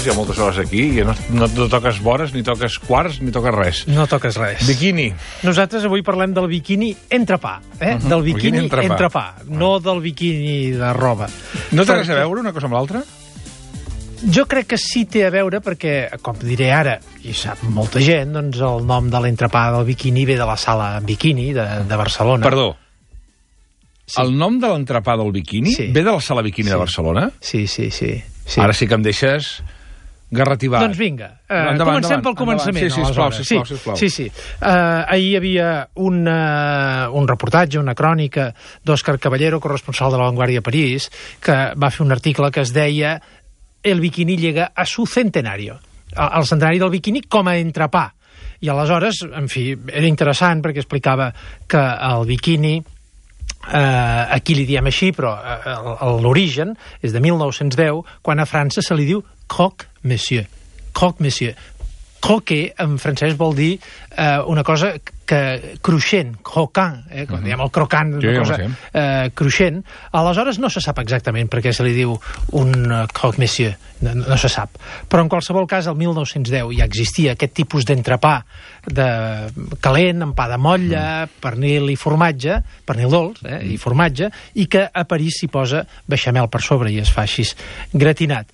hi ha moltes hores aquí, i no toques vores, ni toques quarts, ni toques res. No toques res. Biquini. Nosaltres avui parlem del biquini entrepà, del biquini entrepà, no del biquini de roba. No té res a veure una cosa amb l'altra? Jo crec que sí té a veure perquè, com diré ara, i sap molta gent, doncs el nom de l'entrepà del biquini ve de la sala Bikini de Barcelona. Perdó. Sí. El nom de l'entrepà del biquini ve de la sala Bikini de Barcelona? Sí. Ara sí que em deixes garrativar. Doncs vinga, comencem pel començament. Sí, sisplau. Sí. Ahir hi havia un reportatge, una crònica d'Òscar Caballero, corresponsal de La Vanguardia a París, que va fer un article que es deia El bikini llega a su centenario. El centenari del biquini com a entrepà. I aleshores, en fi, era interessant perquè explicava que el biquini, aquí li diem així, però l'origen és de 1910, quan a França se li diu croque monsieur. Croque monsieur. Croquer en francès vol dir una cosa que cruixent, croquant, quan diem el crocant, una cosa cruixent. Aleshores no se sap exactament per què se li diu un croque monsieur, no se sap. Però en qualsevol cas, el 1910 ja existia aquest tipus d'entrepà calent, amb pa de motlla, pernil i formatge, pernil dolç i formatge, i que a París s'hi posa beixamel per sobre i es fa així gratinat.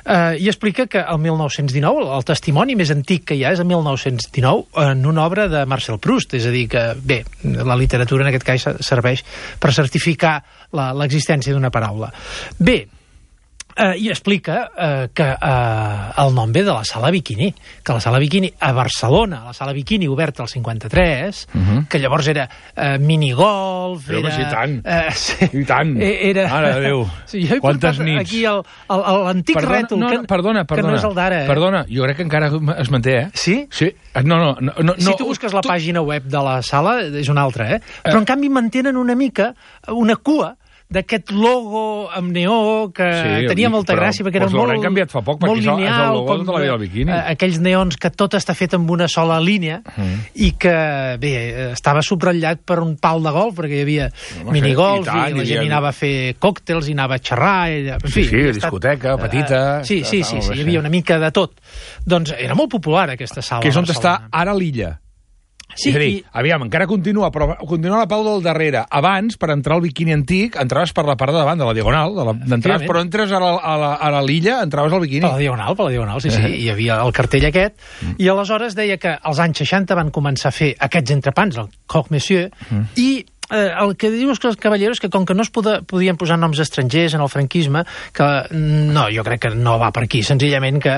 I explica que el 1919, el testimoni més antic que hi ha és el 1919, en una obra de Marcel Proust, és a dir que, bé, la literatura en aquest cas serveix per certificar l'existència d'una paraula. Bé, i explica que el nom ve de la sala Bikini, que la sala Bikini a Barcelona, la sala Bikini oberta al 53, que llavors era minigolf, però era... I tant, mare de Déu, quantes nits. Aquí l'antic rètol, que no és el d'ara. Perdona, jo crec que encara es manté, Sí? Sí. No. Si tu busques la pàgina web de la sala, és una altra, però en canvi mantenen una mica una cua d'aquest logo amb neó que tenia molta gràcia perquè era molt canviat fa poc, molt lineal, és el logo de la vida del biquini. Aquells neons que tot està fet amb una sola línia i que, bé, estava subratllat per un pal de golf perquè hi havia minigolf i la gent anava a fer còctels i anava a xerrar. Sí, discoteca, petita. Sí, hi havia una mica de tot. Doncs era molt popular aquesta sala. Que és on està ara l'Illa. Sí, és a dir, aviam, encara continua, però continua la pau del darrere. Abans, per entrar al biquini antic, entraves per la part de davant, de la diagonal, però entres a l'Illa, entraves al biquini. Per la diagonal, sí. Hi havia el cartell aquest, i aleshores deia que als anys 60 van començar a fer aquests entrepans, el croque monsieur, i el que diu els Caballeros és que com que no es podien posar noms estrangers en el franquisme, que no, jo crec que no va per aquí, senzillament que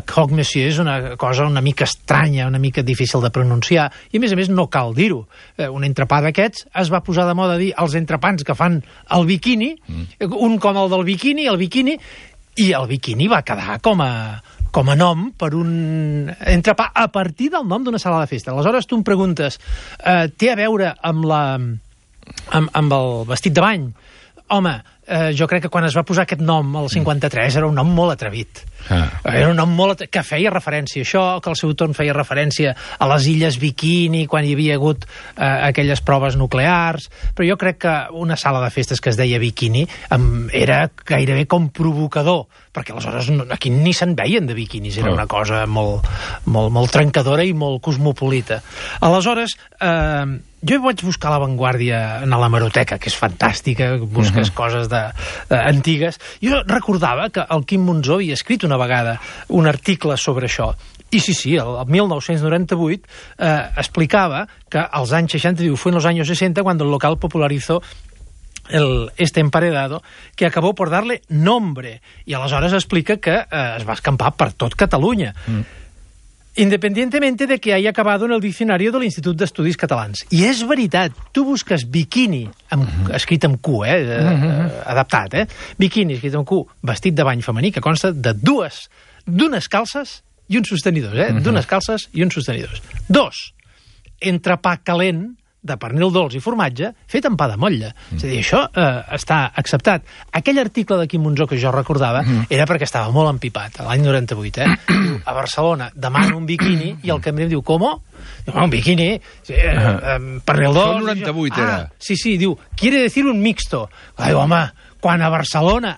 croque monsieur és una cosa una mica estranya, una mica difícil de pronunciar, i a més no cal dir-ho. Un entrepà d'aquests es va posar de moda dir els entrepans que fan el biquini, un com el del biquini, i el biquini va quedar com a nom per un entrepà a partir del nom d'una sala de festa. Aleshores tu em preguntes, té a veure amb el vestit de bany? Home, jo crec que quan es va posar aquest nom, el 53, era un nom molt atrevit. Era un nom molt que feia referència a això, que al seu torn feia referència a les illes Bikini, quan hi havia hagut aquelles proves nuclears, però jo crec que una sala de festes que es deia Bikini era gairebé com provocador, perquè aleshores aquí ni se'n veien de biquinis, era una cosa molt trencadora i molt cosmopolita. Aleshores, jo vaig buscar La Vanguardia en l'hemeroteca, que és fantàstica, busques coses antigues. Jo recordava que el Quim Monzó havia escrit una vegada un article sobre això. I sí, el 1998 explicava que als anys 60, diu, fue en los años 60 cuando el local popularizó este emparedado que acabó por darle nombre. I aleshores explica que es va escampar per tot Catalunya. Independientemente de que haya acabado en el diccionario del Institut d'Estudis Catalans. I és veritat, tu busques bikini, escrit amb Q, adaptat, bikini, escrit amb Q, vestit de bany femení, que consta de d'unes calces i uns sostenidors, d'unes calces i uns sostenidors. 2, entrepà calent, de pernil dolç i formatge, fet amb pa de motlla. És a dir, això està acceptat. Aquell article de Quim Monzó que jo recordava era perquè estava molt empipat, l'any 98, Diu, a Barcelona demano un biquini i el cambrer em diu, ¿cómo? Diu, un biquini, pernil dolç... El 98 era. Sí, diu, quiere decir un mixto. Ai, home, quan a Barcelona,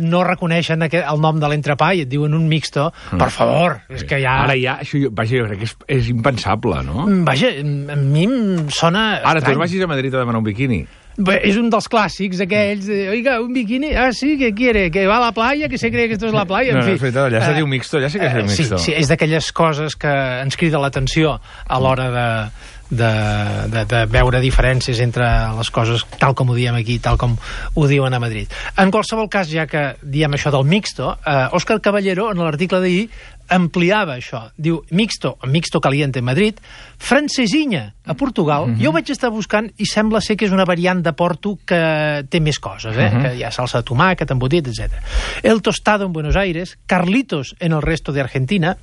no reconeixen el nom de l'entrepà i et diuen un mixto, per favor, és que ja... Ara ja, això, vaja, jo crec que és impensable, no? Vaja, a mi em sona Ara, tu estrany. vagis a Madrid a demanar un biquini. Bé, és un dels clàssics, aquells, oiga, un biquini, sí, ¿qué quiere? Que va a la playa, que se cree que esto es la playa, en fi. És veritat, allà se diu mixto, ja sé que és mixto. Sí, és d'aquelles coses que ens crida l'atenció a l'hora de veure diferències entre les coses tal com ho diem aquí, tal com ho diuen a Madrid. En qualsevol cas, ja que diem això del mixto, Òscar Caballero, en l'article d'ahir, ampliava això. Diu, mixto caliente en Madrid, francesinha a Portugal. Jo ho vaig estar buscant i sembla ser que és una variant de Porto que té més coses, que hi ha salsa de tomàquet, embotit, etc. El tostado en Buenos Aires, Carlitos en el resto de Argentina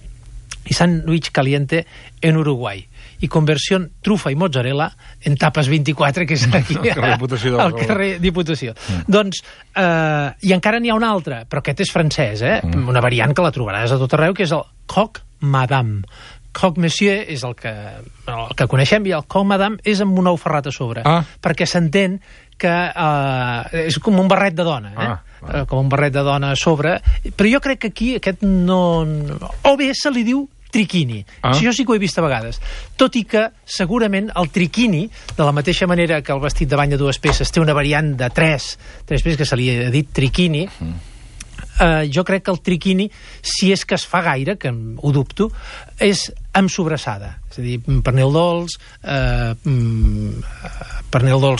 y sándwich caliente en Uruguay. I conversió trufa i mozzarella en Tapes 24, que és aquí al carrer Diputació. Doncs, i encara n'hi ha una altra, però aquest és francès, una variant que la trobaràs a tot arreu, que és el croque madame. Croque monsieur és el que coneixem, i el croque madame és amb un ou ferrat a sobre, perquè s'entén que és com un barret de dona, com un barret de dona a sobre, però jo crec que aquí aquest no... O bé se li diu triquini. Jo sí que ho he vist a vegades. Tot i que, segurament, el triquini, de la mateixa manera que el vestit de bany de 2 peces té una variant de 3 peces que se li ha dit triquini, jo crec que el triquini, si és que es fa gaire, que ho dubto, és amb sobrassada. És a dir, pernil dolç,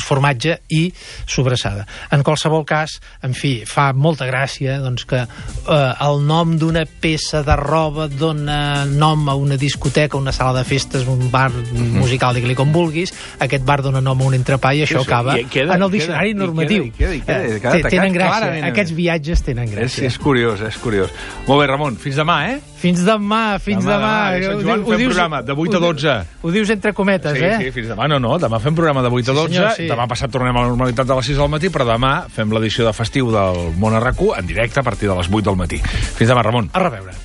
formatge i sobrassada. En qualsevol cas, en fi, fa molta gràcia doncs, que el nom d'una peça de roba dona nom a una discoteca, una sala de festes, un bar musical, digue-li com vulguis, aquest bar dona nom a un entrepà i això acaba en el diccionari normatiu. Tenen gràcia, aquests viatges tenen gràcia. És curiós, és curiós. Molt bé, Ramon, fins demà, Fins demà. Sant Joan fem programa de 8 a 12. Ho dius entre cometes, Sí, fins demà. No, demà fem programa de 8 a 12. Senyor, sí. Demà passat tornem a la normalitat de les 6 del matí, però demà fem l'edició de festiu del Món a RAC1 en directe a partir de les 8 del matí. Fins demà, Ramon. A reveure.